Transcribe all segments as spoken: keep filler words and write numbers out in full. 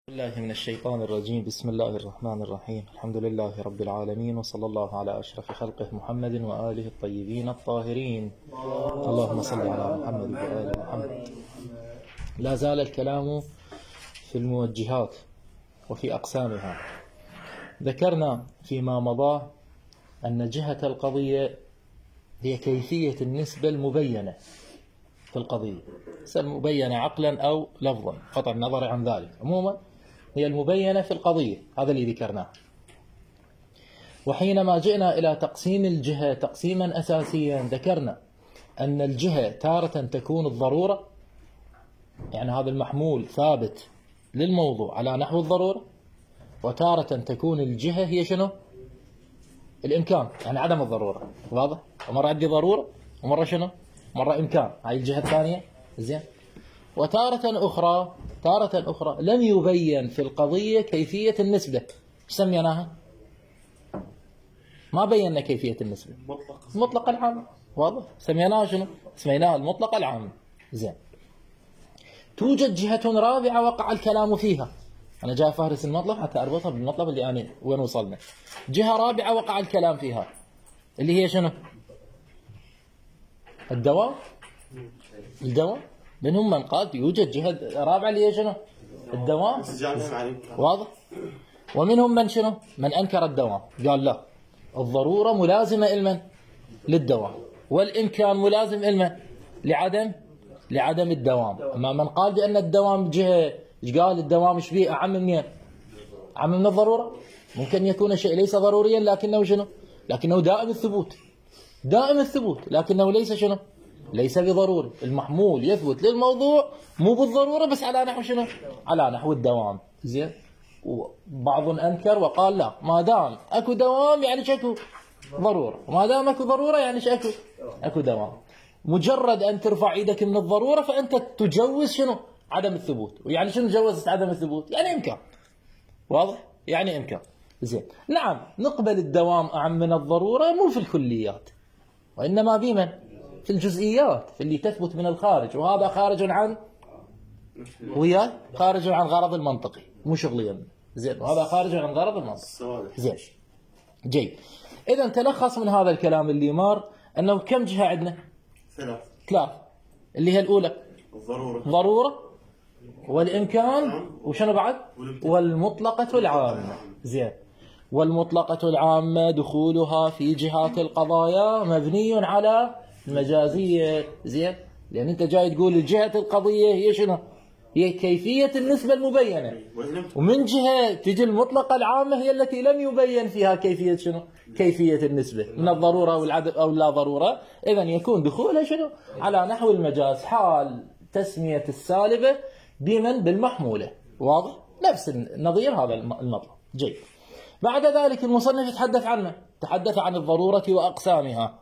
الله من الشيطان الرجيم. بسم الله الرحمن الرحيم. الحمد لله رب العالمين، وصلى الله على أشرف خلقه محمد وآله الطيبين الطاهرين. اللهم صل على محمد وآل محمد. لا زال الكلام في الموجهات وفي أقسامها. ذكرنا فيما مضى أن جهة القضية هي كيفية النسبة المبينة في القضية، مبينة عقلا أو لفظا، قطع النظر عن ذلك. عموما هي المبينة في القضية، هذا اللي ذكرناه. وحينما جئنا إلى تقسيم الجهة تقسيما أساسيا، ذكرنا أن الجهة تارة تكون الضرورة، يعني هذا المحمول ثابت للموضوع على نحو الضرورة، وتارة تكون الجهة هي شنو؟ الإمكان، يعني عدم الضرورة. واضح؟ ومرة عندي ضرورة ومرة شنو؟ مرة إمكان، هاي الجهة الثانية. زين. وتارة أخرى تارة أخرى لم يبين في القضية كيفية النسبة. ايش سميناها؟ ما بينا كيفية النسبة. مطلق العام. واضح؟ سميناها شنو؟ سميناها المطلق العام. زين. توجد جهة رابعة وقع الكلام فيها. أنا جاي فهرس المطلب حتى أربطها بالمطلب اللي أنا وين وصلنا. جهة رابعة وقع الكلام فيها اللي هي شنو؟ الدوام. الدوام. منهم من قال يوجد جهة رابعة اللي هي شنو؟ الدوام. واضح؟ ومنهم من شنو؟ من أنكر الدوام، قال لا، الضرورة ملازمة إلمن؟ للدوام، والإمكان ملازم إلمن؟ لعدم لعدم الدوام. أما من قال بأن الدوام جهة، ايش قال؟ الدوام ايش بيه؟ أعم منين؟ أعم من الضرورة. ممكن يكون شيء ليس ضروريا لكنه شنو؟ لكنه دائم الثبوت، دائم الثبوت، لكنه ليس شنو؟ ليس بضروري. المحمول يثبت للموضوع مو بالضرورة، بس على نحو شنو؟ على نحو الدوام. زين. وبعض أنكر وقال لا، ما دام أكو دوام يعني اكو ضرورة، وما دام أكو ضرورة يعني اكو أكو دوام. مجرد أن ترفع إيدك من الضرورة فأنت تجوز شنو؟ عدم الثبوت. ويعني شنو جوزت عدم الثبوت؟ يعني إمكان. واضح؟ يعني إمكان. زين. نعم، نقبل الدوام أعم من الضرورة، مو في الكليات، وإنما بمن؟ في الجزئيات، في اللي تثبت من الخارج، وهذا خارج عن ويا خارج عن غرض المنطقي، مو شغليا. زين. وهذا خارج عن غرض المنطقي. زين. جيد. إذا تلخص من هذا الكلام اللي مار أنه كم جهة عندنا؟ ثلاث. ثلاث. اللي هي الأولى الضرورة، ضرورة، والإمكان، وشنو بعد؟ والمطلقة العامة. زين. والمطلقة العامة دخولها في جهات القضايا مبني على المجازية. زين. لأن أنت جاي تقول الجهة القضية هي شنو؟ هي كيفية النسبة المبينة، ومن جهة تجي المطلقة العامة هي التي لم يبين فيها كيفية شنو؟ كيفية النسبة من الضرورة أو العدم أو لا ضرورة. إذن يكون دخولها شنو؟ على نحو المجاز، حال تسمية السالبة بمن؟ بالمحمولة. واضح؟ نفس النظير هذا المطلب. جيد. بعد ذلك المصنف يتحدث عنه، تحدث عن الضرورة وأقسامها،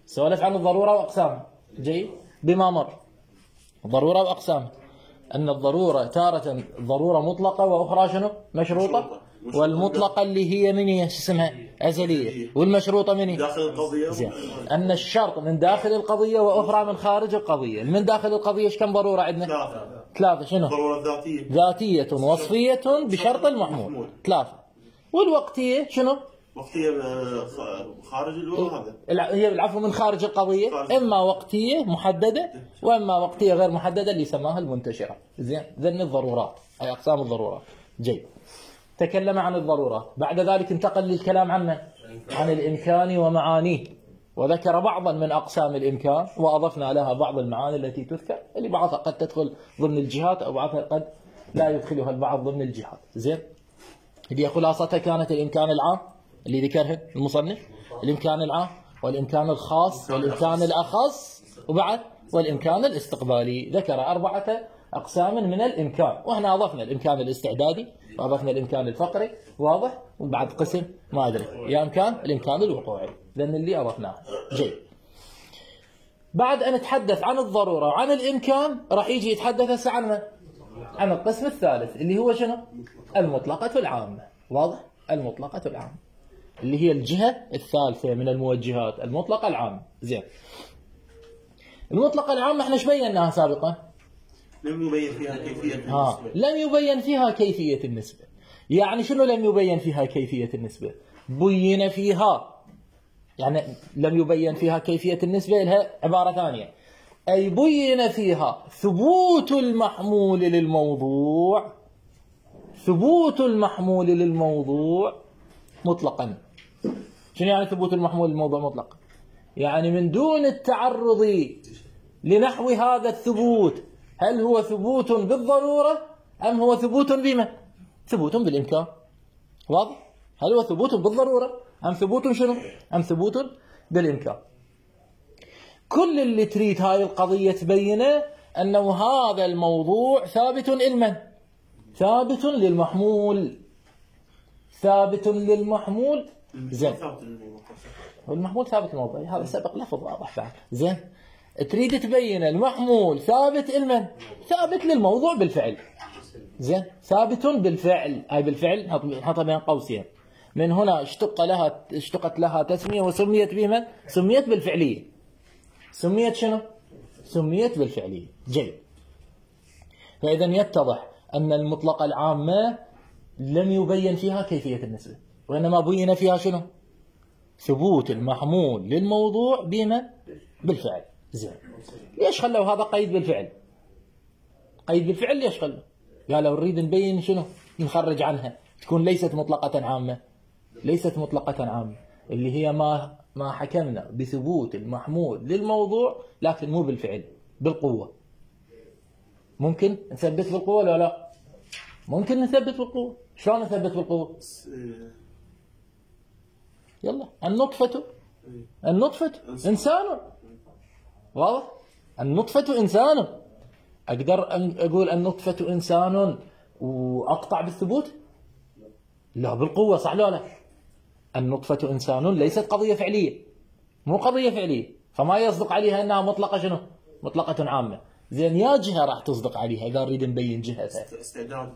سولف عن الضرورة وأقسامها. جيد. بما مر ضرورة وأقسامها، أن الضرورة تارة ضرورة مطلقة وأخرى شنو؟ مشروطة. والمطلقة اللي هي من هي اسمها أزلية، والمشروطة من هي؟ داخل القضية. زين. أن الشرط من داخل القضية وأخرى من خارج القضية. من داخل القضية ايش كم ضرورة عندنا؟ ثلاثة. ثلاثة. شنو؟ ضرورة ذاتية، ذاتية وصفية بشرط المحمول. ثلاثة. والوقتية شنو؟ وقتية خارج الوقت. هذا هي العفو من خارج القضية، إما وقتية محددة وإما وقتية غير محددة اللي سماها المنتشرة. زين. ذن الضرورات، أي أقسام الضرورات. جيد. تكلم عن الضرورات. بعد ذلك انتقل للكلام عن من؟ عن الإمكان ومعانيه، وذكر بعضا من أقسام الإمكان، وأضفنا لها بعض المعاني التي تذكر، اللي بعضها قد تدخل ضمن الجهات أو بعضها قد لا يدخلها البعض ضمن الجهات. زين. اللي خلاصتها كانت الإمكان العام اللي ذكرها المصنف، الإمكان العام والإمكان الخاص والإمكان الأخص، وبعد والإمكان الاستقبالي. ذكر أربعة أقسام من الإمكان، وإحنا أضفنا الإمكان الاستعدادي وأضفنا الإمكان الفقري. واضح؟ وبعد قسم ما أدري يا إمكان الإمكان الوقوعي، لأن اللي أضفناه. جيد. بعد أن نتحدث عن الضرورة وعن الإمكان راح يجي يتحدث هسه عن من؟ عن القسم الثالث اللي هو شنو؟ المطلقة العامة. واضح؟ المطلقة العامة اللي هي الجهة الثالثة من الموجهات، المطلقة العامة. زين. المطلقة العامة احنا ايش بيناها سابقا؟ لم يبين فيها كيفية ها النسبة. لم يبين فيها كيفية النسبة. يعني شنو لم يبين فيها كيفية النسبة؟ بين فيها، يعني لم يبين فيها كيفية النسبة لها عبارة ثانية، أي بين فيها ثبوت المحمول للموضوع، ثبوت المحمول للموضوع مطلقا. شنو يعني ثبوت المحمول للموضوع مطلقا؟ يعني من دون التعرض لنحو هذا الثبوت، هل هو ثبوت بالضرورة أم هو ثبوت بما؟ ثبوت بالإمكان. واضح؟ هل هو ثبوت بالضرورة أم ثبوت شنو؟ أم ثبوت بالإمكان. كل اللي تريد هاي القضية تبينه أنه هذا الموضوع ثابت لمن؟ ثابت للمحمول. ثابت للمحمول. زين. والمحمول ثابت للموضوع، هذا سبق لفظ واضح بعد. زين. تريد تبين المحمول ثابت لمن؟ ثابت للموضوع بالفعل. زين. ثابت بالفعل، أي بالفعل نحطها بين قوسين. من هنا اشتق لها اشتقت لها تسمية وسميت بمن؟ سميت بالفعلية. سميت شنو؟ سميت بالفعلية. جيد. فإذا يتضح أن المطلقة العامة لم يبين فيها كيفية النسبة، وإنما بين فيها شنو؟ ثبوت المحمول للموضوع بمن؟ بالفعل. زين. ليش خلوا هذا قيد بالفعل؟ قيد بالفعل ليش خلوا؟ قالوا نريد نبين شنو؟ نخرج عنها تكون ليست مطلقة عامة. ليست مطلقة عامة اللي هي ما ما حكمنا بثبوت المحمول للموضوع، لكن مو بالفعل، بالقوة. ممكن نثبت بالقوة ولا لا؟ ممكن نثبت بالقوة. شلون نثبت بالقوة؟ يلا. النطفة النطفة إنسان. واضح؟ النطفة إنسان. أقدر أقول النطفة إنسان وأقطع بالثبوت؟ لا، بالقوة. صح لا لا؟ النطفة إنسان ليست قضية فعلية، مو قضية فعلية، فما يصدق عليها أنها مطلقة شنو؟ مطلقة عامة. زين. يا جهة راح تصدق عليها إذا نريد نبين جهتها. استعداد.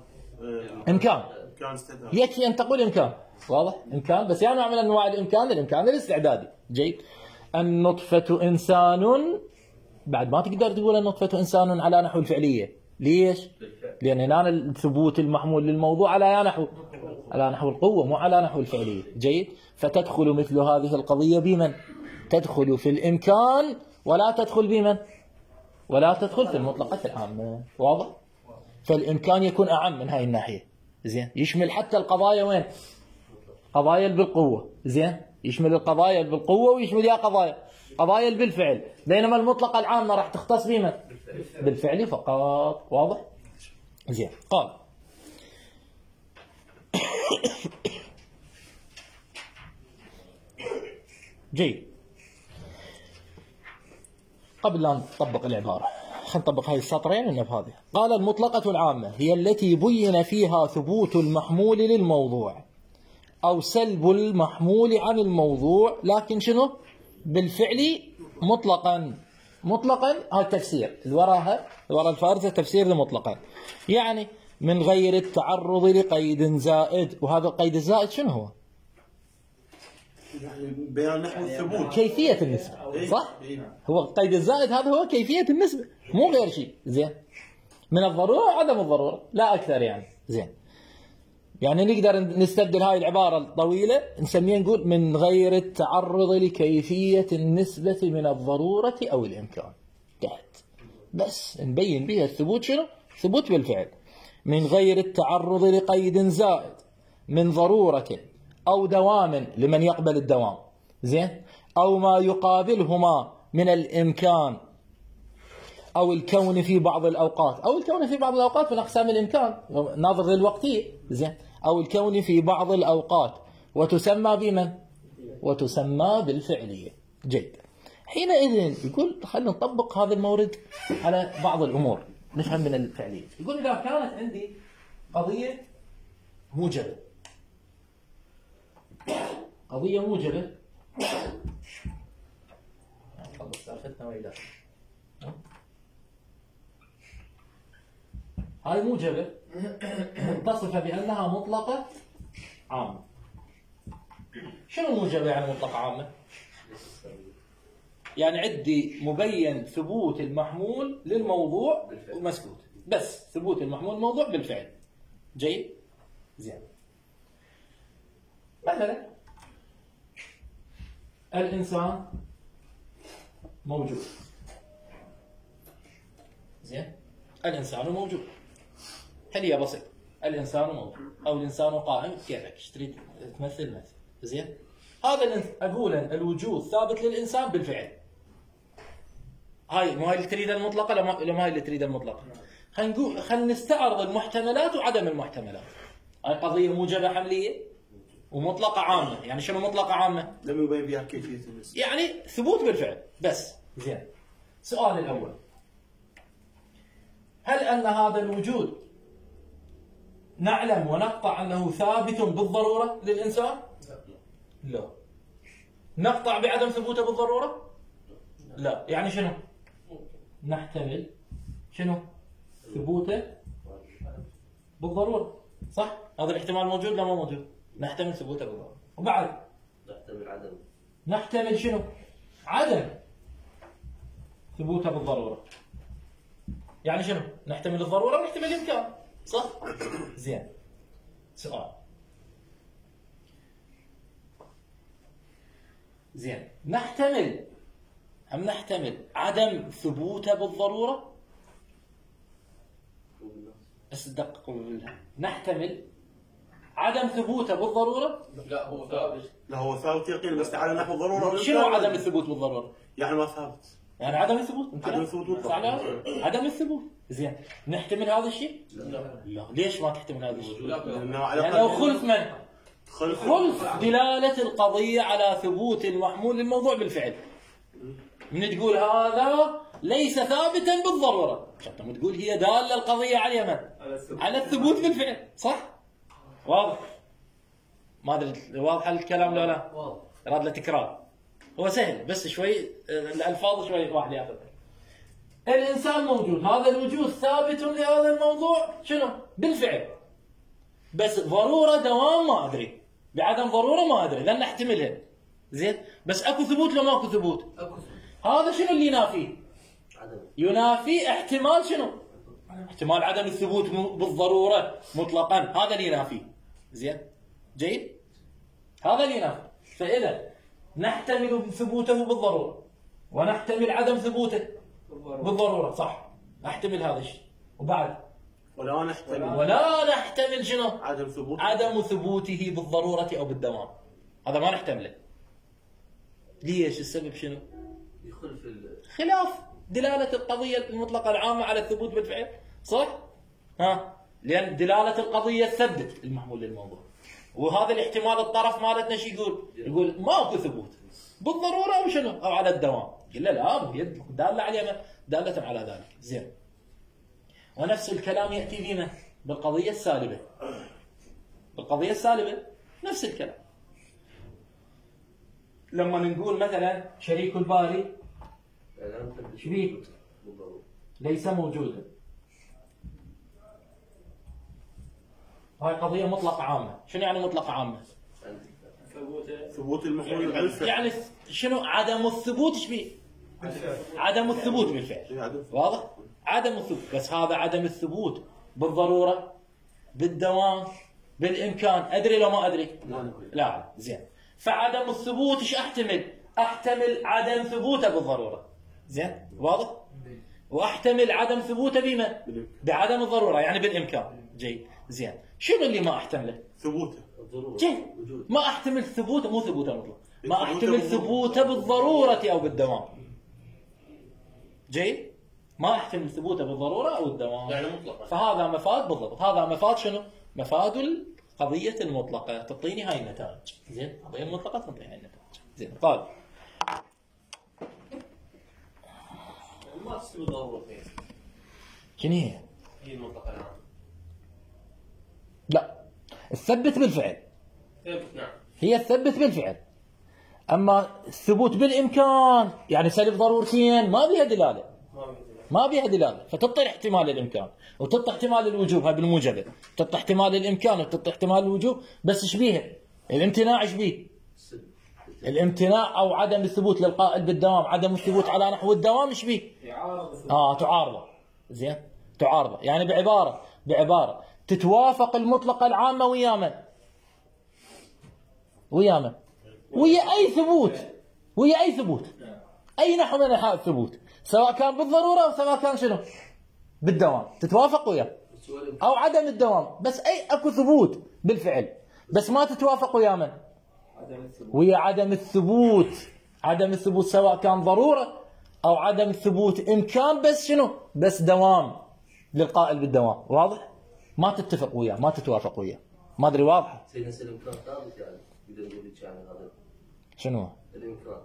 إمكان. إمكان استعداد. يكفي أن تقول إمكان. واضح؟ إمكان. بس يعني نوع من أنواع الإمكان، الإمكان الاستعدادي. جيد. النطفة إنسان، بعد ما تقدر تقول النطفة إنسان على نحو الفعلية. ليش؟ لأن هنا الثبوت المحمول للموضوع على نحو على نحو القوة، مو على نحو الفعلية. جيد. فتدخل مثل هذه القضية بمن؟ تدخل في الإمكان، ولا تدخل بمن؟ ولا تدخل في المطلقة العامة. واضح؟ فالإمكان يكون أعم من هاي الناحية. زين. يشمل حتى القضايا وين؟ قضايا بالقوة. زين. يشمل القضايا بالقوة ويشمل يا قضايا قضايا بالفعل، بينما المطلقة العامة راح تختص بمن؟ بالفعل فقط. واضح؟ زين. قال جيد. قبل أن نطبق العبارة خلينا نطبق هذه السطرين ونفهم. قال المطلقة العامة هي التي بين فيها ثبوت المحمول للموضوع أو سلب المحمول عن الموضوع، لكن شنو؟ بالفعل مطلقا. مطلقا هذا التفسير اللي وراها، وراء الفارزة تفسير مطلقا، يعني من غير التعرض لقيد زائد. وهذا القيد الزائد شنو هو؟ يعني بيان نحو الثبوت، كيفية النسبة. صح؟ هو القيد الزائد هذا هو كيفية النسبة، مو غير شيء. زين. من الضرورة عدم الضرورة، لا أكثر يعني. زين. يعني نقدر نستبدل هاي العبارة الطويلة نسميها نقول من غير التعرض لكيفية النسبة من الضرورة أو الإمكان. تحت بس نبين بها الثبوت شنو؟ ثبوت بالفعل. من غير التعرض لقيد زائد من ضرورة أو دوام لمن يقبل الدوام. زين. أو ما يقابلهما من الإمكان أو الكون في بعض الأوقات. أو الكون في بعض الأوقات من أقسام الإمكان ناظر للوقتية. زين. أو الكون في بعض الأوقات، وتسمى بمن؟ وتسمى بالفعلية. جيد. حينئذ يقول خلينا نطبق هذا المورد على بعض الأمور نفهم من الفعلية. يقول إذا كانت عندي قضية موجبة، قضية موجبة خلص سالفتنا وإلى هاي موجبة متصفة بأنها مطلقة عامة. شنو موجبة يعني مطلقة عامة؟ يعني عندي مبين ثبوت المحمول للموضوع ومسكوت. بس ثبوت المحمول الموضوع بالفعل. جيد؟ زين. مثلا الإنسان موجود. زين؟ الإنسان موجود. هي بسيط. الإنسان موجود أو الإنسان قائم، كيفك ايش تريد تمثل مثل. زين؟ هذا أقول الوجود ثابت للإنسان بالفعل. هاي مو هاي اللي تريد المطلقة ولا ما هاي اللي تريد المطلقة؟ خلينا نقول خلينا نستعرض المحتملات وعدم المحتملات. هاي قضية موجبة حملية ومطلقة عامة. يعني شنو مطلقة عامة؟ لم يبين بها كيفية النسبة. يعني ثبوت بالفعل بس. زين. السؤال الأول، هل أن هذا الوجود نعلم ونقطع أنه ثابت بالضرورة للإنسان؟ لا. نقطع بعدم ثبوته بالضرورة؟ لا. يعني شنو؟ نحتمل شنو؟ ثبوته بالضرورة. صح؟ هذا الاحتمال موجود لا مو موجود؟ نحتمل ثبوته بالضرورة. وبعد نحتمل عدم. نحتمل شنو؟ عدم ثبوته بالضرورة. يعني شنو؟ نحتمل الضرورة ونحتمل الإمكان. صح؟ زين. سؤال. زين. نحتمل هم نحتمل عدم ثبوته بالضرورة؟ بس دققوا بالله. نحتمل عدم ثبوته بالضرورة؟ لا هو ثابت. لا هو ثابت يقين بس على نحو الضرورة. شنو عدم الثبوت بالضرورة؟ يعني ما ثابت. يعني عدم الثبوت. عدم الثبوت بالضبط. عدم الثبوت. زين. نحتمل هذا الشيء؟ لا. لا. ليش ما تحتمل هذا الشيء؟ لأنه لأنه خلف من؟ خلف خلف دلالة القضية على ثبوت المحمول للموضوع بالفعل. من تقول هذا ليس ثابتا بالضرورة، شفتم تقول هي دالة القضية على من؟ على الثبوت بالفعل. صح؟ واضح؟ ما ادري واضح الكلام ولا لا؟ واضح. راد له تكرار. هو سهل بس شوي الألفاظ شوي واحد ياخذ. الإنسان موجود، هذا الوجود ثابت لهذا الموضوع شنو؟ بالفعل. بس ضرورة دوام ما أدري، بعدم ضرورة ما أدري، لأن نحتملها. زين؟ بس أكو ثبوت لو ماكو ثبوت؟ اكو ثبوت. هذا شنو اللي ينافيه؟ عدم. ينافي احتمال شنو؟ احتمال عدم الثبوت بالضرورة مطلقا، هذا اللي ينافيه. زين؟ جيد؟ هذا اللي ينافي. فإذا نحتمل ثبوته بالضرورة ونحتمل عدم ثبوته بالضرورة. صح؟ احتمل هذا الشيء. وبعد ولا نحتمل ولا نحتمل شنو؟ عدم ثبوت عدم ثبوته بالضرورة أو بالدوام. هذا ما نحتمله. ليش؟ السبب شنو؟ يخلف ال... خلاف دلالة القضية المطلقة العامة على الثبوت بالفعل. صح؟ ها؟ لأن دلالة القضية تثبت المحمول للموضوع. وهذا الاحتمال الطرف مالتنا شو يقول؟ يقول ماكو ثبوت بالضرورة أو شنو؟ أو على الدوام. قلنا لا، هي دالة على دالة على ذلك. زين. ونفس الكلام يأتي بما بالقضية السالبة. بالقضية السالبة نفس الكلام. لما نقول مثلا شريك الباري شبيه ليس موجودا، هاي قضية مطلقة عامة. شنو يعني مطلقة عامة؟ ثبوت المحمول بالفعل. يعني شنو عدم الثبوت؟ ايش بيه؟ عدم الثبوت بالفعل. واضح؟ عدم الثبوت. بس هذا عدم الثبوت بالضرورة، بالدوام، بالإمكان. أدري لو ما أدري؟ لا. زين. فعدم الثبوت ايش احتمل؟ احتمل عدم ثبوته بالضرورة. زين؟ واضح؟ واحتمل عدم ثبوته بما؟ بعدم الضرورة، يعني بالإمكان. جيد. زين. شنو اللي ما احتمله؟ ثبوته. جيد. ما احتمل ثبوته، مو ثبوته مطلق. ما احتمل ثبوته بالضرورة أو بالدوام. جيد؟ ما احتمل ثبوته بالضرورة أو الدوام. يعني مطلقا. فهذا مفاد بالضبط. هذا مفاد شنو؟ مفاد القضية المطلقة تعطيني هاي النتائج. زين؟ القضية المطلقة تعطيني هاي النتائج. زين. طيب. ما تستوي ضرورة فين؟ شنو هي؟ هي المنطقة العامة. لا. الثبت بالفعل. ثابت نعم. هي الثبت بالفعل. أما الثبوت بالإمكان يعني سلب ضرورتين ما بيها دلالة. ما بيها دلالة. فتعطي احتمال الإمكان وتعطي احتمال الوجوب. هاي بالموجبة. تعطي احتمال الإمكان وتعطي احتمال الوجوب. بس ايش بيها؟ الامتناع ايش بيه؟ الامتناع أو عدم الثبوت للقائل بالدوام، عدم الثبوت على نحو الدوام ايش بيه؟ اه تعارضه. زين. تعارضه، يعني بعبارة بعبارة تتوافق المطلقة العامة ويا من؟ ويا من؟ ويا أي ثبوت، ويا أي ثبوت، أي نحو من أنحاء الثبوت، سواء كان بالضرورة أو سواء كان شنو؟ بالدوام، تتوافق وياه أو عدم الدوام، بس أي أكو ثبوت بالفعل، بس ما تتوافق ويا من؟ ويا عدم الثبوت، عدم الثبوت سواء كان ضرورة أو عدم الثبوت إمكان بس شنو؟ بس دوام للقائل بالدوام، واضح؟ ما تتفق وياه، ما تتوافق وياه، ما أدري واضحة؟ سيدنا الإمكان ثابت يعني يقدر يقول لك يعني هذا شنو؟ الإمكان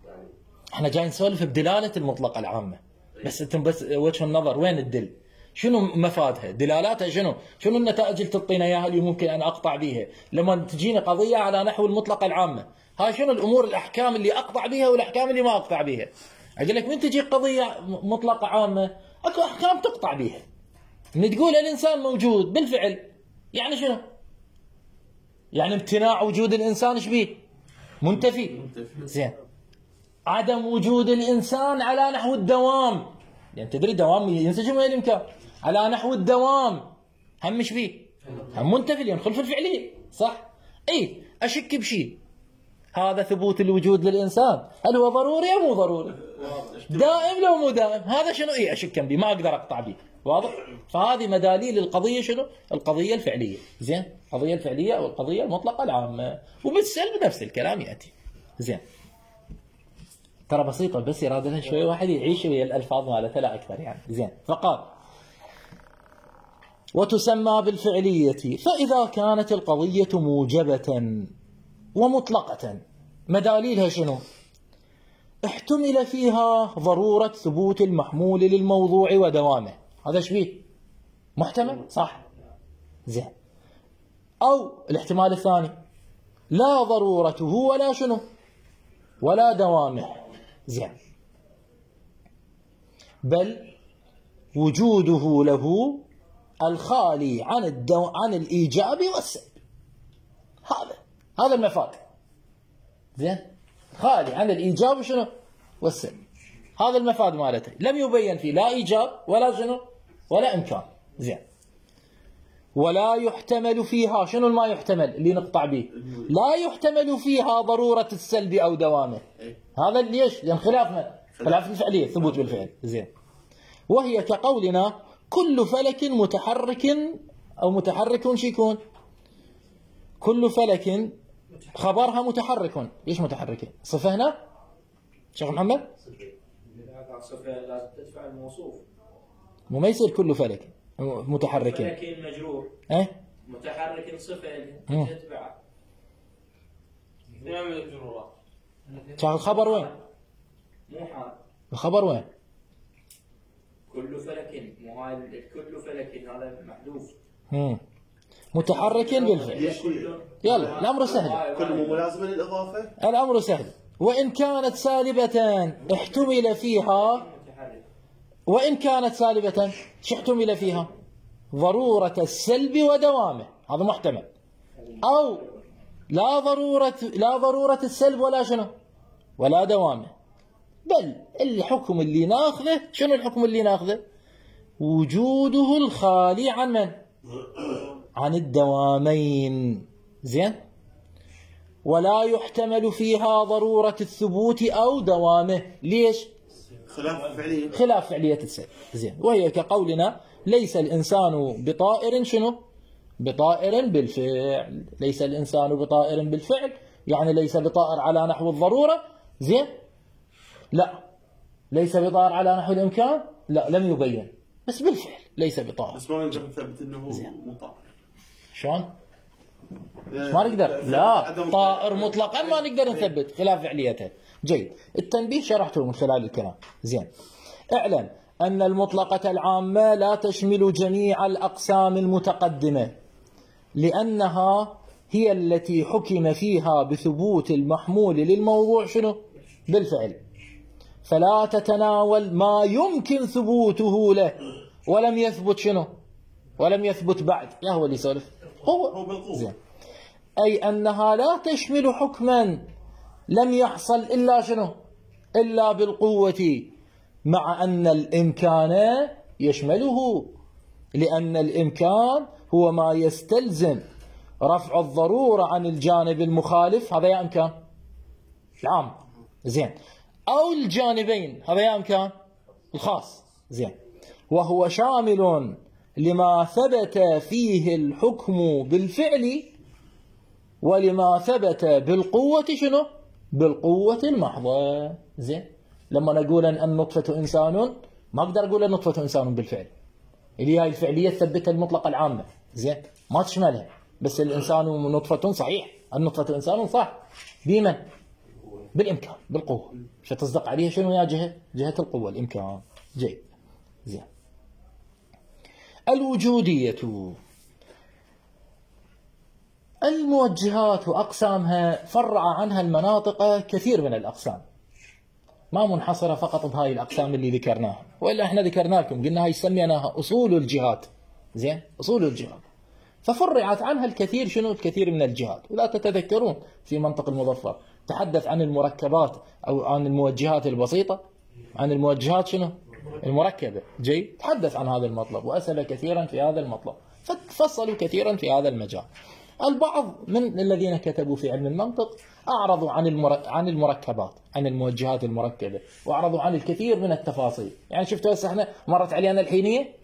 يعني احنا جاي نسولف بدلالة المطلقة العامة، بس انتم بس وجه النظر وين الدل؟ شنو مفادها؟ دلالاتها شنو؟ شنو النتائج اللي تعطينا اياها اللي ممكن ان اقطع بيها؟ لما تجيني قضية على نحو المطلقة العامة، هاي شنو الامور الاحكام اللي اقطع بيها والاحكام اللي ما اقطع بيها؟ اقول لك من تجي قضية مطلقة عامة اكو احكام تقطع بيها. من تقول الانسان موجود بالفعل، يعني شنو؟ يعني امتناع وجود الانسان ايش بيه؟ منتفي. زين. عدم وجود الإنسان على نحو الدوام، يعني تدري دوام ينسجم ويا الإمكان، على نحو الدوام هم مش فيه، هم منتفي لأن خلف الفعلية، صح؟ إيه أشك بشيء، هذا ثبوت الوجود للإنسان، هل هو ضروري أو مو ضروري؟ دائم لو مو دائم، هذا شنو؟ إيه أشك به، ما أقدر أقطع به، واضح؟ فهذه مداليل القضية شنو؟ القضية الفعلية، زين؟ القضية الفعلية أو القضية المطلقة العامة، وبالسلب نفس الكلام يأتي، زين؟ ترى بسيطة، بس إرادة شوي واحد يعيش ويا الألفاظ مالتها لا أكثر يعني، زين. فقال وتسمى بالفعلية فإذا كانت القضية موجبة ومطلقة، مداليلها شنو؟ احتمل فيها ضرورة ثبوت المحمول للموضوع ودوامه، هذا ايش بيه؟ محتمل، صح؟ زين. أو الاحتمال الثاني لا ضرورته ولا شنو؟ ولا دوامه، زين، بل وجوده له الخالي عن الدو... عن الإيجاب والسلب، هذا هذا المفاد، زين، خالي عن الإيجاب شنو؟ والسلب، هذا المفاد مالته، لم يبين فيه لا إيجاب ولا شنو؟ ولا إمكان، زين. ولا يحتمل فيها، شنو ما يحتمل اللي نقطع به؟ لا يحتمل فيها ضرورة السلب أو دوامه، هذا ليش؟ لأن خلاف من؟ خلاف الفعلية، ثبوت بالفعل، زين. وهي كقولنا كل فلك متحرك أو متحرك شو يكون؟ كل فلك خبرها متحرك، ليش متحرك؟ صفة هنا؟ شيخ محمد؟ صفة لازم تدفع الموصوف، مو ما يصير كل فلك متحرك. فلك مجرور، ايه؟ متحرك صفة تتبعه. نعمل الجرورات. شيخ الخبر وين؟ مو حال. الخبر وين؟ كل فلك، مو هاي كل فلك هذا محذوف. امم متحرك بالفعل. يلا الأمر سهل. كل مو ملازمة للإضافة؟ الأمر سهل. وإن كانت سالبة احتمل فيها، وإن كانت سالبة شو احتمل فيها؟ ضرورة السلب ودوامه، هذا محتمل. أو لا ضرورة لا ضرورة السلب ولا شنو؟ ولا دوامه، بل الحكم اللي ناخذه شنو؟ الحكم اللي ناخذه وجوده الخالي عن من؟ عن الدوامين، زين. ولا يحتمل فيها ضرورة الثبوت أو دوامه، ليش؟ خلاف فعلية، خلاف فعلية السلب، زين. وهي كقولنا ليس الإنسان بطائر شنو؟ بطائر بالفعل، ليس الإنسان بطائر بالفعل، يعني ليس بطائر على نحو الضرورة، زين؟ لا. ليس بطائر على نحو الإمكان؟ لا، لم يبين، بس بالفعل ليس بطائر. بس ما نقدر نثبت انه مو طائر. شلون؟ ما نقدر، لا، طائر مطلقا ما نقدر نثبت، خلاف فعليته. جيد، التنبيه شرحته من خلال الكلام، زين. اعلم أن المطلقة العامة لا تشمل جميع الأقسام المتقدمة، لأنها هي التي حكم فيها بثبوت المحمول للموضوع شنو؟ بالفعل، فلا تتناول ما يمكن ثبوته له ولم يثبت شنو؟ ولم يثبت بعد. يا هو اللي يسولف، هو هو بالقوة، زين. أي أنها لا تشمل حكما لم يحصل إلا شنو؟ إلا بالقوة، مع أن الإمكان يشمله، لأن الإمكان هو ما يستلزم رفع الضرورة عن الجانب المخالف، هذا يا إمكان العام زين، أو الجانبين، هذا يا إمكان الخاص زين، وهو شامل لما ثبت فيه الحكم بالفعل ولما ثبت بالقوة شنو؟ بالقوة المحضة زين. لما نقول أن النطفة إنسان ما أقدر أقول النطفة إنسان بالفعل، اللي هاي الفعلية تثبتها المطلقة العامة زين، ما تشملها، بس الإنسان نطفة صحيح، النطفة إنسان صح، بمن؟ بالإمكان بالقوة، فتصدق عليها شنو يا جهة؟ جهة القوة الإمكان. جيد زين. الوجودية الموجهات وأقسامها فرع عنها المناطق كثير من الأقسام، ما منحصرة فقط بهاي الأقسام اللي ذكرناها، وإلا احنا ذكرنا لكم قلنا هاي سميناها أصول الجهات زين، أصول الجهات، ففرعت عنها الكثير شنو؟ الكثير من الجهات. ولا تتذكرون في منطق المظفر تحدث عن المركبات أو عن الموجهات البسيطة، عن الموجهات شنو؟ المركبة. جيد، تحدث عن هذا المطلب وأسأل كثيرا في هذا المطلب، فتفصلوا كثيرا في هذا المجال. البعض من الذين كتبوا في علم المنطق أعرضوا عن عن المركبات، عن الموجهات المركبة، وأعرضوا عن الكثير من التفاصيل. يعني شفتوا هسه احنا مرت علينا الحينية؟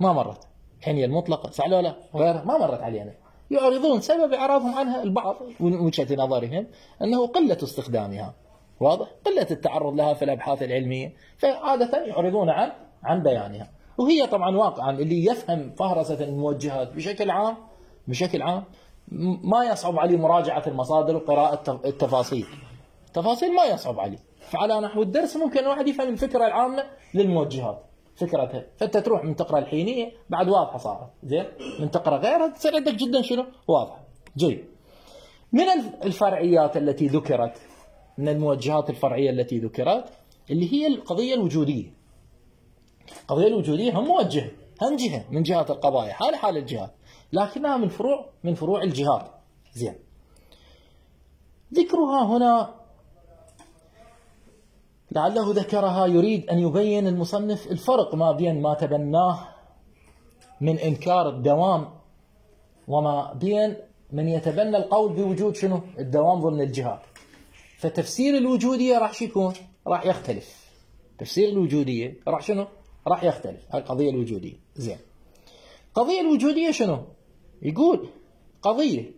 ما مرت. الحينية المطلقة صح ولا لا؟ غيرها ما مرت علينا. يعرضون سبب إعراضهم عنها البعض من وجهة نظرهم أنه قلة استخدامها، واضح؟ قلة التعرض لها في الأبحاث العلمية، فعادة يعرضون عن عن بيانها. وهي طبعا واقعا اللي يفهم فهرسة الموجهات بشكل عام بشكل عام ما يصعب عليه مراجعة المصادر وقراءة التفاصيل، التفاصيل ما يصعب عليه. فعلى نحو الدرس ممكن الواحد يفهم الفكرة العامة للموجهات، فكرتها، فانت تروح من تقرأ الحينية بعد واضحة صارت زين، من تقرأ غيرها تصير عندك جدا شنو؟ واضحة. جيد. من الفرعيات التي ذكرت، من الموجهات الفرعية التي ذكرت اللي هي القضية الوجودية. القضية الوجودية هم موجهة، هم جهة من جهات القضايا، حال حال الجهات، لكنها من فروع من فروع الجهات زين. ذكرها هنا لعله ذكرها يريد أن يبين المصنف الفرق ما بين ما تبناه من إنكار الدوام وما بين من يتبنى القول بوجود شنو؟ الدوام ضمن الجهات. فتفسير الوجودية راح شو يكون؟ راح يختلف. تفسير الوجودية راح شنو؟ راح يختلف. هاي القضية الوجودية زين. قضية الوجودية شنو؟ يقول قضية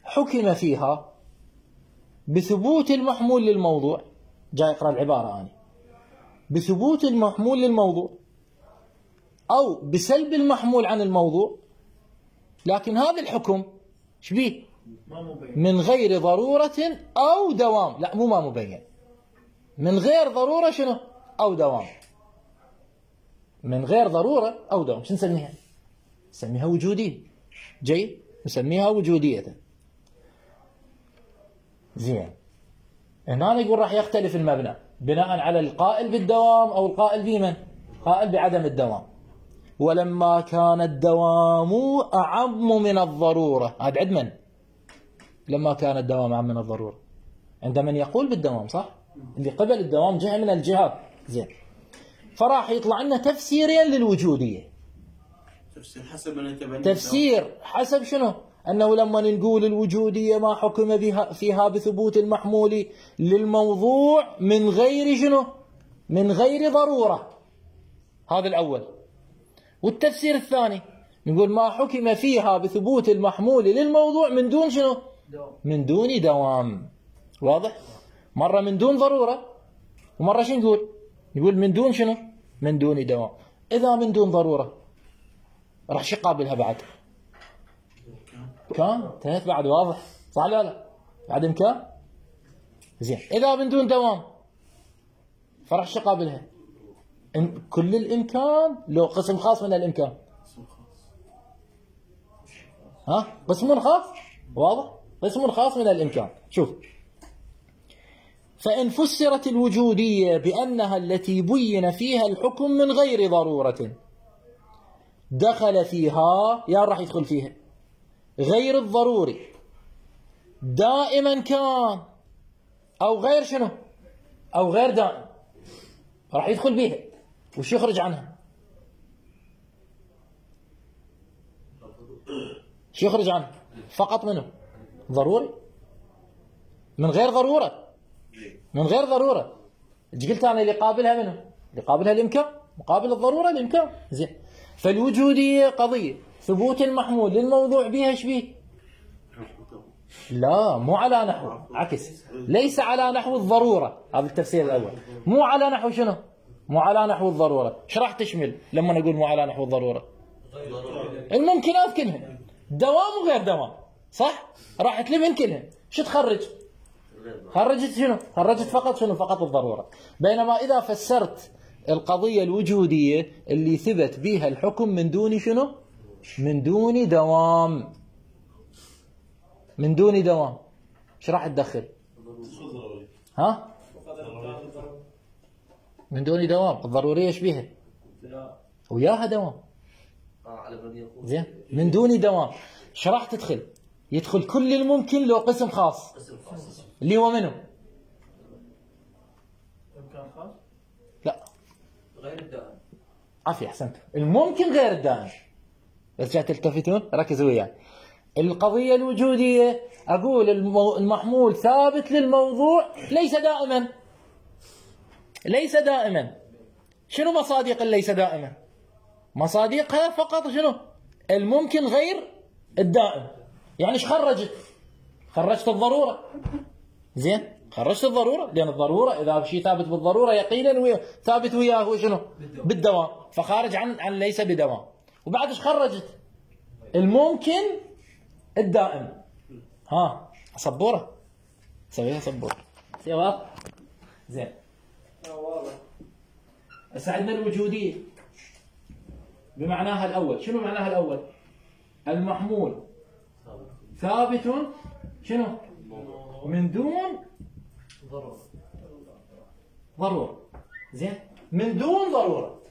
حكم فيها بثبوت المحمول للموضوع، جاي اقرأ العبارة أنا، بثبوت المحمول للموضوع أو بسلب المحمول عن الموضوع، لكن هذا الحكم شبيه؟ من غير ضرورة أو دوام. لا مو ما مبين، من غير ضرورة شنو؟ أو دوام. من غير ضرورة أو دوام. شو نسميها؟ نسميها وجودية. جيد، نسميها وجودية زين. هنا يقول راح يختلف المبنى بناء على القائل بالدوام أو القائل بمن؟ قائل بعدم الدوام. ولما كان الدوام أعم من الضرورة، هذا عند من؟ لما كان الدوام أعم من الضرورة، عند من يقول بالدوام صح؟ اللي قبل الدوام جهة من الجهات زين. فراح يطلع لنا تفسيرين للوجودية. تفسير حسب من يتبنى، تفسير حسب شنو؟ أنه لما نقول الوجودية ما حكم بها فيها بثبوت المحمول للموضوع من غير شنو؟ من غير ضرورة. هذا الأول. والتفسير الثاني نقول ما حكم فيها بثبوت المحمول للموضوع من دون شنو؟ من دون دوام. واضح؟ مرة من دون ضرورة ومرة شو نقول؟ نقول من دون شنو؟ من دون دوام. إذا من دون ضرورة راح شو قابلها بعد؟ كان انتهت بعد. واضح صح لا لا؟ بعد إمكان زين. إذا من دون دوام فراح شو قابلها؟ كل الإمكان لو قسم خاص من الإمكان. ها قسم خاص. واضح؟ قسم خاص من الإمكان. شوف، فإن فسرت الوجودية بأنها التي بين فيها الحكم من غير ضرورة دخل فيها، يا راح يدخل فيها غير الضروري دائما كان أو غير شنو؟ أو غير دائم، راح يدخل بيها. وش يخرج عنها؟ شو يخرج عنه؟ فقط منه ضروري، من غير ضرورة، من غير ضرورة. ايش قلت انا؟ اللي قابلها منه، اللي قابلها الامكان، مقابل الضرورة الامكان. زين. فالوجودية قضية ثبوت المحمول للموضوع بها ايش بيه؟ لا، مو على نحو، عكس، ليس على نحو الضرورة. هذا التفسير الأول. مو على نحو شنو؟ مو على نحو الضرورة. ايش راح تشمل لما نقول مو على نحو الضرورة؟ الممكنات كلها، دوام وغير دوام، صح؟ راح تلمن كلها. شو تخرج؟ خرجت شنو؟ خرجت فقط شنو؟ فقط الضرورة. بينما إذا فسرت القضية الوجودية اللي ثبت بها الحكم من دون شنو؟ من دون دوام، من دون دوام، ايش راح تدخل؟ ها؟ من دون دوام، الضرورية ايش بيها؟ وياها دوام. زين. من دون دوام ايش راح تدخل؟ يدخل كل الممكن لو قسم خاص، اللي هو منه؟ لا، غير الدائم. عافية، احسنت. الممكن غير الدائم. بس جاي تلتفتون، ركزوا وياي. القضية الوجودية أقول المحمول ثابت للموضوع ليس دائما، ليس دائما. شنو مصادق ليس دائما؟ مصادقها فقط شنو؟ الممكن غير الدائم. يعني ايش خرجت؟ خرجت الضرورة. زين، خرجت الضرورة، لأن الضرورة إذا شيء ثابت بالضرورة يقينا ويا ثابت وياه هو شنو؟ بالدوام، فخارج عن عن ليس بدوام. وبعد ايش خرجت؟ الممكن الدائم. ها، سبورة سويها سبورة. واضح؟ زين. واضح. هسه عندنا الوجودية بمعناها الأول. شنو معناها الأول؟ المحمول ثابت شنو؟ من دون ضرورة. زين. من دون ضرورة.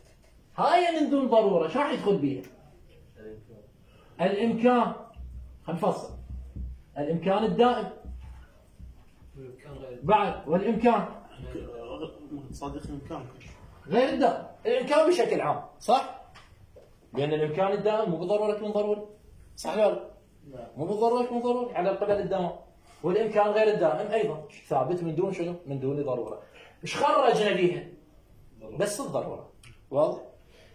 هاي من دون ضرورة شو راح يدخل بيها؟ الإمكان. هنفصل. الإمكان الدائم بعد، والإمكان صديق الإمكان غير الدائم. الإمكان بشكل عام، صح؟ لأن الإمكان الدائم مو بالضرورة يكون ضروري، صح ولا لا؟ مو بالضرورة يكون ضروري على قبل الدوام. والإمكان غير الدائم أيضا ثابت من دون شنو؟ من دون ضرورة. إيش خرجنا بيها؟ بس الضرورة. واضح؟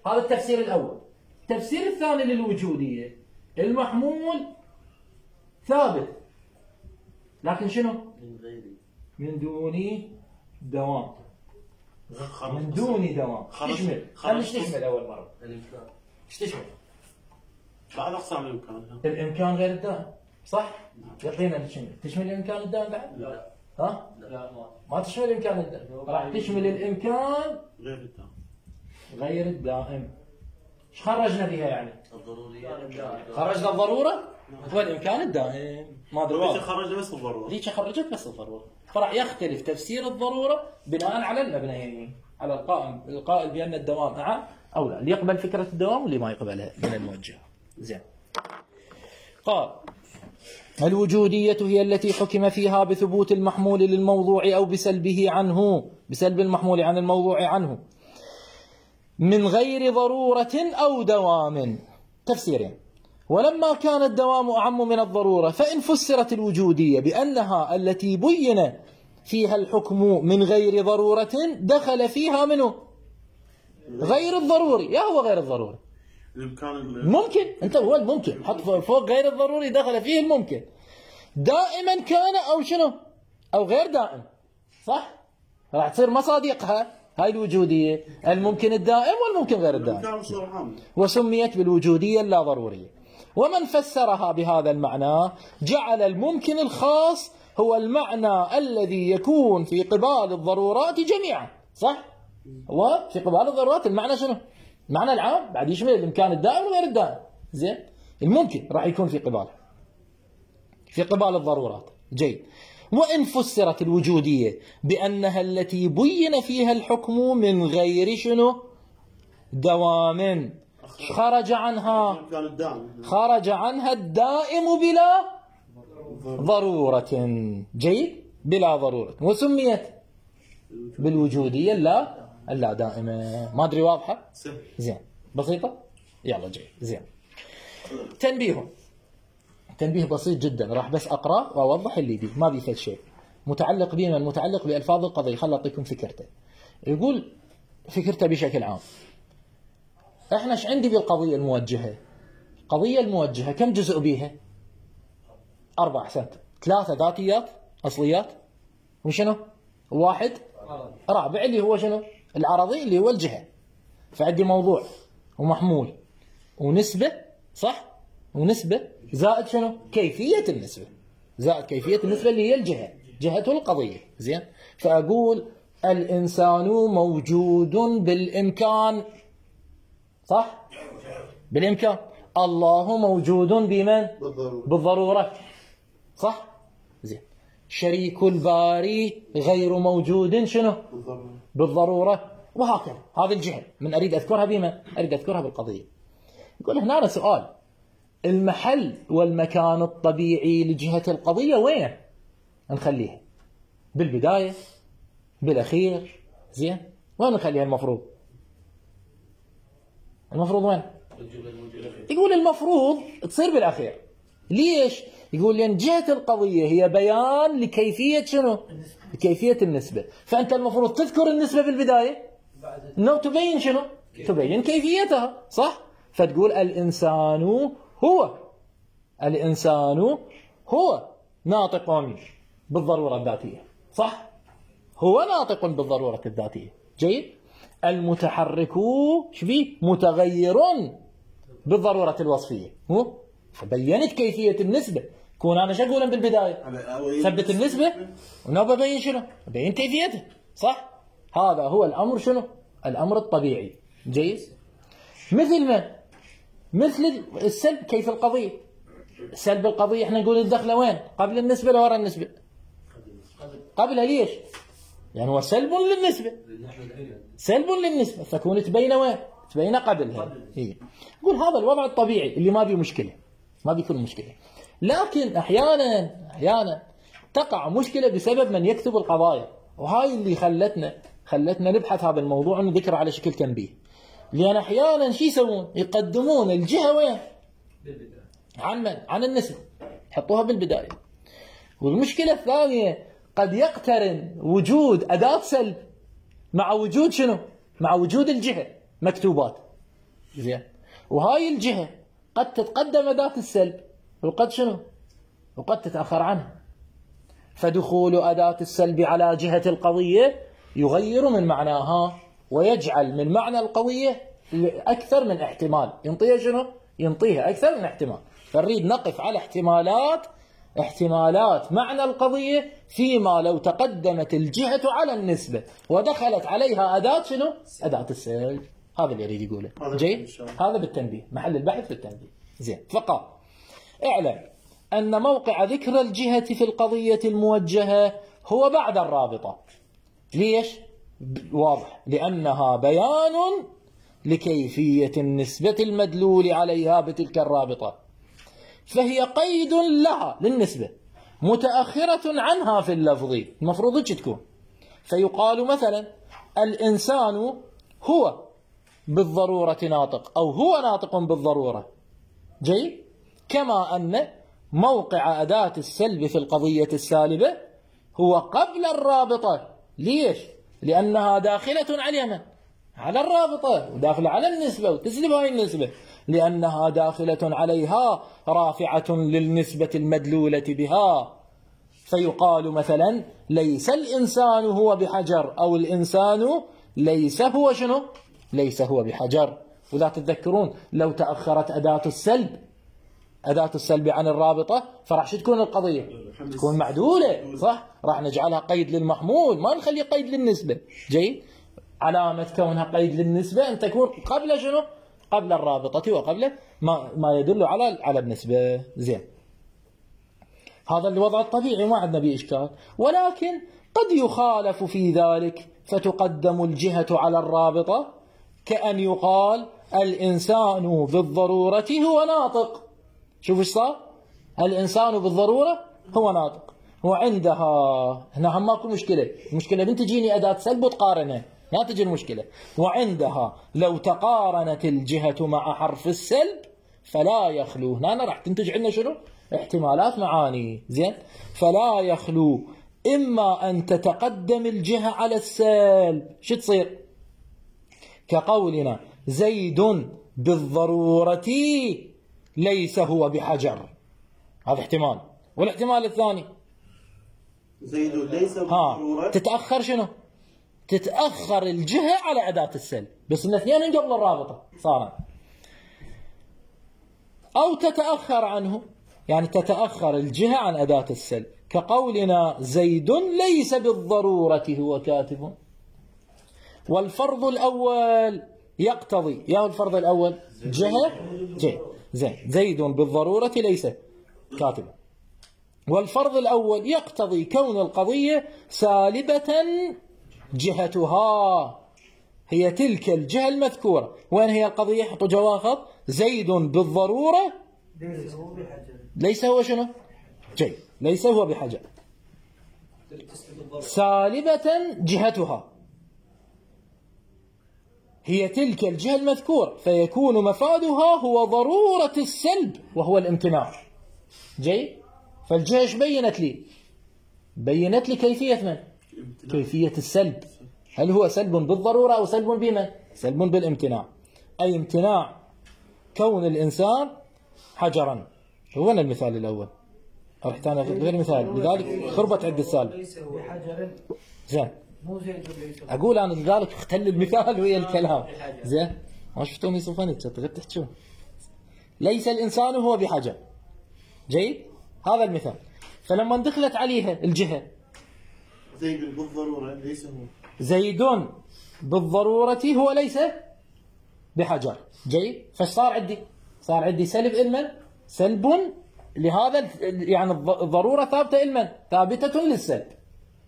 هذا التفسير الأول. التفسير الثاني للوجودية، المحمول ثابت لكن شنو؟ من دون دوام. من دون دوام. تشمل، خليش تشمل أول مرة. الإمكان. ايش تشمل؟ بعد أقسام الإمكان. الإمكان غير الدائم، صح؟ يقينا تشمل. تشمل الإمكان الدائم بعد؟ لا. ها؟ لا. ما تشمل الإمكان الدائم. راح تشمل الإمكان غير الدائم. غير الدائم. ايش خرجنا فيها يعني؟ الضرورية. خرجنا الضرورة والإمكان الدائم. ما ادري ذيك واضح. خرجت بس الضرورة. ذيك خرجت بس الضرورة. فراح يختلف تفسير الضرورة بناء على المبنيين، على القائم القائل بأن الدوام أعم أو لا، اللي يقبل فكرة الدوام واللي ما يقبلها من الموجه. زين. قال: الوجودية هي التي حكم فيها بثبوت المحمول للموضوع أو بسلبه عنه، بسلب المحمول عن الموضوع عنه من غير ضرورة أو دوام. تفسيرين. ولما كان الدوام أعم من الضرورة فإن فسرت الوجودية بأنها التي بين فيها الحكم من غير ضرورة دخل فيها منه غير الضروري. يا هو غير الضروري الإمكان ممكن، أنت هو الممكن، حط فوق غير الضروري دخل فيه الممكن، دائما كان أو شنو أو غير دائم، صح؟ راح تصير مصادقها هاي الوجودية الممكن الدائم والممكن غير الدائم، وسميت بالوجودية اللا ضرورية. ومن فسرها بهذا المعنى جعل الممكن الخاص هو المعنى الذي يكون في قبال الضرورات جميعا، صح؟ هو في قبال الضرورات المعنى شنو؟ المعنى العام بعد يشمل الإمكان الدائم وغير الدائم. زين؟ الممكن راح يكون في قباله، في قبال الضرورات. جيد. وإن فسرت الوجودية بأنها التي بين فيها الحكم من غير شنو؟ دوام، خرج عنها خرج عنها الدائم بلا ضرورة. جيد؟ بلا ضرورة. وسميت بالوجودية اللا اللا دائمة. ما أدري واضحة؟ زين. بسيطة؟ يلا جيد. زين. تنبيه: تنبيه بسيط جدا، راح بس اقرا واوضح اللي بيه، ما بيه فد شيء متعلق بما متعلق بألفاظ القضية. خل أعطيكم فكرته. يقول فكرته بشكل عام. احنا ايش عندي بالقضية الموجهة؟ القضية الموجهة كم جزء بيها؟ أربع. أحسنت. ثلاثة ذاتيات أصليات، وشنو؟ واحد رابع اللي هو شنو؟ العرضي اللي هو الجهة. فعندي موضوع ومحمول ونسبة، صح؟ ونسبة زائد شنو؟ كيفية النسبة. زائد كيفية النسبة اللي هي الجهة، جهة القضية. زين؟ فأقول الإنسان موجود بالإمكان، صح؟ بالإمكان. الله موجود بمن؟ بالضرورة، صح؟ زين. شريك الباري غير موجود شنو؟ بالضرورة. وهكذا. هذه الجهة من أريد أذكرها بمن؟ أريد أذكرها بالقضية. يقول هنا سؤال، المحل والمكان الطبيعي لجهة القضية وين؟ نخليها بالبداية، بالأخير، زين؟ وين نخليها المفروض؟ المفروض وين؟ يقول المفروض تصير بالأخير. ليش؟ يقول لأن جهة القضية هي بيان لكيفية شنو؟ كيفية النسبة. فأنت المفروض تذكر النسبة بالبداية، إنه تبين شنو؟ تبين كيفيتها، صح؟ فتقول الإنسان هو الإنسان هو ناطق بالضرورة الذاتية، صح؟ هو ناطق بالضرورة الذاتية. جيد؟ المتحرك شبيه؟ متغير بالضرورة الوصفية. هو فبينت كيفية النسبة. كون أنا شو أقول بالبداية؟ ثبت النسبة ونبى بين شنو؟ بين كيفيتها، صح؟ هذا هو الأمر شنو؟ الأمر الطبيعي. جيد؟ مثل ما مثل السلب. كيف القضية؟ سلب القضية احنا نقول الدخلة وين؟ قبل النسبة ولا ورا النسبة؟ قبلها. ليش؟ يعني هو سلب للنسبة، سلب للنسبة، فكون تبين وين؟ تبين قبلها. هي يقول هذا الوضع الطبيعي اللي ما بيه مشكلة، ما بيكون مشكلة. لكن أحيانا أحيانا تقع مشكلة بسبب من يكتب القضايا، وهاي اللي خلتنا خلتنا نبحث هذا الموضوع ونذكره على شكل تنبيه. لأن أحيانا شو يسوون؟ يقدمون الجهة وين؟ عن من؟ عن النسبة، يحطوها بالبداية. والمشكلة الثانية قد يقترن وجود أداة سلب مع وجود شنو؟ مع وجود الجهة مكتوبات. زين؟ وهاي الجهة قد تتقدم أداة السلب وقد شنو؟ وقد تتأخر عنها. فدخول أداة السلب على جهة القضية يغير من معناها ويجعل من معنى القضية أكثر من احتمال. ينطيها شنو؟ ينطيها أكثر من احتمال. فنريد نقف على احتمالات احتمالات معنى القضية فيما لو تقدمت الجهة على النسبة ودخلت عليها أداة شنو؟ أداة السلب. هذا اللي يريد يقوله. جيد؟ هذا بالتنبيه، محل البحث في التنبيه. زين. فقال اعلم أن موقع ذكر الجهة في القضية الموجهة هو بعد الرابطة. ليش؟ واضح، لأنها بيان لكيفية النسبة المدلول عليها بتلك الرابطة، فهي قيد لها للنسبة متأخرة عنها في اللفظ. المفروض تكون. فيقال مثلا الإنسان هو بالضرورة ناطق، أو هو ناطق بالضرورة. جيد؟ كما أن موقع أداة السلب في القضية السالبة هو قبل الرابطة. ليش؟ لأنها داخلة على من؟ على الرابطة، وداخلة على النسبة، وتسلب هاي النسبة لأنها داخلة عليها رافعة للنسبة المدلولة بها. فيقال مثلا ليس الإنسان هو بحجر، أو الإنسان ليس هو شنو؟ ليس هو بحجر. ولا تتذكرون لو تأخرت أداة السلب أداة السلب عن الرابطة فراح شو تكون القضية؟ تكون معدولة، صح؟ راح نجعلها قيد للمحمول، ما نخلي قيد للنسبة. جيد؟ علامة كونها قيد للنسبة أن تكون قبل شنو؟ قبل الرابطة وقبل ما ما يدل على على النسبة. زين. هذا الوضع الطبيعي، ما عندنا به إشكال. ولكن قد يخالف في ذلك فتقدم الجهة على الرابطة، كأن يقال الإنسان بالضرورة هو ناطق. شوف ايش صار؟ الإنسان بالضرورة هو ناطق، وعندها هنا هم ماكو مشكلة. المشكلة بنت تجيني أداة سلب وتقارنها، لا تجي المشكلة. وعندها لو تقارنت الجهة مع حرف السلب فلا يخلو. هنا راح تنتج عندنا شنو؟ احتمالات معاني. زين، فلا يخلو إما أن تتقدم الجهة على السلب، شو تصير؟ كقولنا زيد بالضرورة ليس هو بحجر، هذا احتمال. والاحتمال الثاني زيد ليس ها بالضرورة، تتأخر شنو؟ تتأخر الجهة على أداة السلب، بس الاثنين قبل الرابطة صار. أو تتأخر عنه، يعني تتأخر الجهة عن أداة السلب، كقولنا زيد ليس بالضرورة هو كاتب. والفرض الأول يقتضي، يا الفرض الأول جهة جهة زين، زيد بالضرورة ليس كاتب. والفرض الأول يقتضي كون القضية سالبة جهتها هي تلك الجهة المذكورة. وين هي القضية؟ حطوا جواخط. زيد بالضرورة ليس هو شنو؟ جيد، ليس هو بحجر. سالبة جهتها هي تلك الجهة المذكورة، فيكون مفادها هو ضرورة السلب وهو الامتناع. جيد، فالجهة ايش بينت لي؟ بينت لي كيفية من؟ كيفية السلب. هل هو سلب بالضرورة أو سلب بمن؟ سلب بالامتناع، أي امتناع كون الإنسان حجرا. هو المثال الأول، رح تاني غير مثال، لذلك خربت عند السالب. ليس هو بحجر. زين، مو زيد ليس هو. أقول أنا لذلك اختل المثال ويا الكلام. زين، ما شفتوني صفنت شطرت تحكون. ليس الإنسان هو بحجر. جيد، هذا المثال. فلما دخلت عليها الجهة زيد بالضرورة ليس هو، زيد بالضرورة هو ليس بحجر. جيد، فصار عندي صار عندي سلب علما، سلب لهذا، يعني الضرورة ثابتة علما، ثابتة للسلب،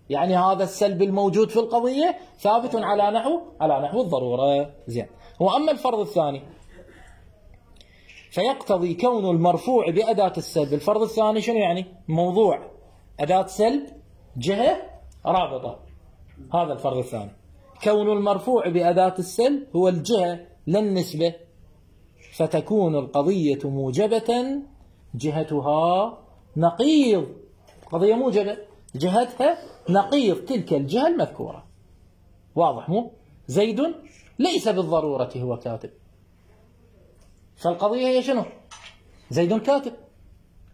يعني هذا السلب الموجود في القضية ثابت على نحو على نحو الضرورة. زين، وأما الفرض الثاني فيقتضي كون المرفوع بأداة السلب. الفرض الثاني شنو يعني؟ موضوع أداة سلب جهة رابطة، هذا الفرض الثاني. كون المرفوع بأداة السلب هو الجهة للنسبة، فتكون القضية موجبة جهتها نقيض، قضية موجبة جهتها نقيض تلك الجهة المذكورة. واضح مو؟ زيد ليس بالضرورة هو كاتب، فالقضية هي شنو؟ زيد كاتب،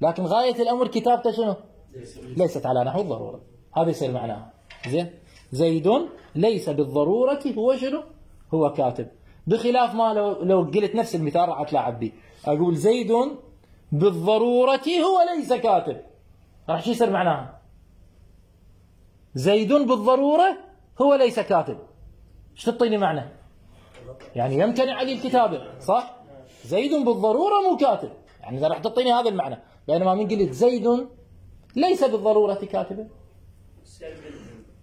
لكن غاية الأمر كتابته شنو؟ ليست على نحو الضرورة. هذا يصير معناها. زين، زيد ليس بالضرورة هو شنو؟ هو كاتب. بخلاف ما لو لو قلت نفس المثال راح اتلاعب به، اقول زيد بالضرورة هو ليس كاتب، راح شو يصير معناها؟ زيد بالضرورة هو ليس كاتب، ايش تعطيني معنى؟ يعني يمتنع عليه الكتابة، صح؟ زيد بالضرورة مو كاتب، يعني اذا راح تعطيني هذا المعنى، بينما من قلت زيد ليس بالضرورة كاتبا،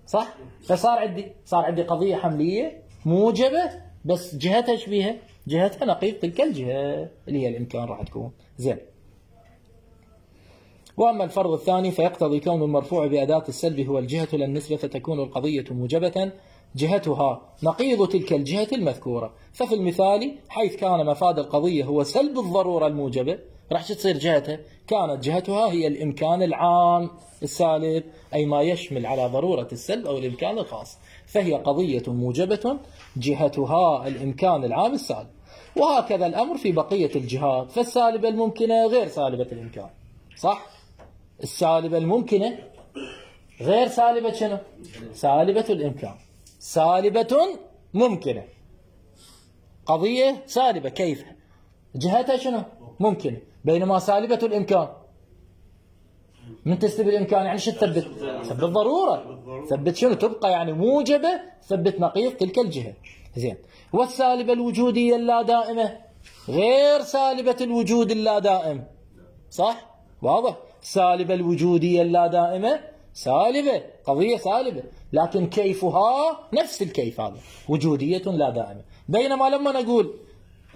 صح؟ فصار عندي صار عندي قضية حملية موجبة، بس جهتها ايش بيها؟ جهتها نقيض تلك الجهة اللي هي الامكان راح تكون. زين، واما الفرض الثاني فيقتضي كون المرفوع بأداة السلب هو الجهة للنسبة، فتكون القضية موجبة جهتها نقيض تلك الجهة المذكورة. ففي المثال حيث كان مفاد القضية هو سلب الضرورة الموجبة، راح تصير جهتها كانت جهتها هي الإمكان العام السالب، أي ما يشمل على ضرورة السلب أو الإمكان الخاص، فهي قضية موجبة جهتها الإمكان العام السالب. وهكذا الأمر في بقية الجهات، فالسالبة الممكنة غير سالبة الإمكان، صح؟ السالبة الممكنة غير سالبة شنو؟ سالبة الإمكان. سالبة ممكنة، قضية سالبة كيف؟ جهتها شنو؟ ممكنة، بينما سالبة الإمكان من تسلب الإمكان يعني شو تثبت؟ ثبت ضرورة، ثبت شنو؟ تبقى يعني موجبة، ثبت نقيض تلك الجهة. زين، والسالبة الوجودية اللا دائمة غير سالبة الوجود اللا دائم، صح؟ واضح؟ سالبة الوجودية اللا دائمة سالبة، قضية سالبة، لكن كيفها نفس الكيف، هذا وجودية لا دائمة. بينما لما نقول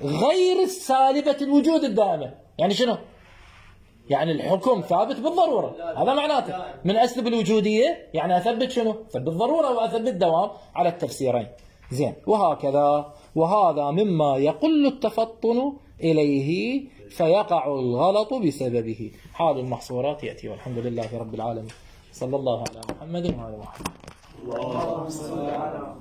غير السالبة الوجود الدائمة يعني شنو؟ يعني الحكم ثابت بالضرورة، هذا معناته. من أسلب الوجودية يعني أثبت شنو؟ أثبت ضرورة وأثبت دوام على التفسيرين. زين، وهكذا، وهذا مما يقل التفطن إليه فيقع الغلط بسببه. حال المحصورات يأتي، والحمد لله رب العالمين. صلى الله على محمد وعلى محمد. اللهم صل على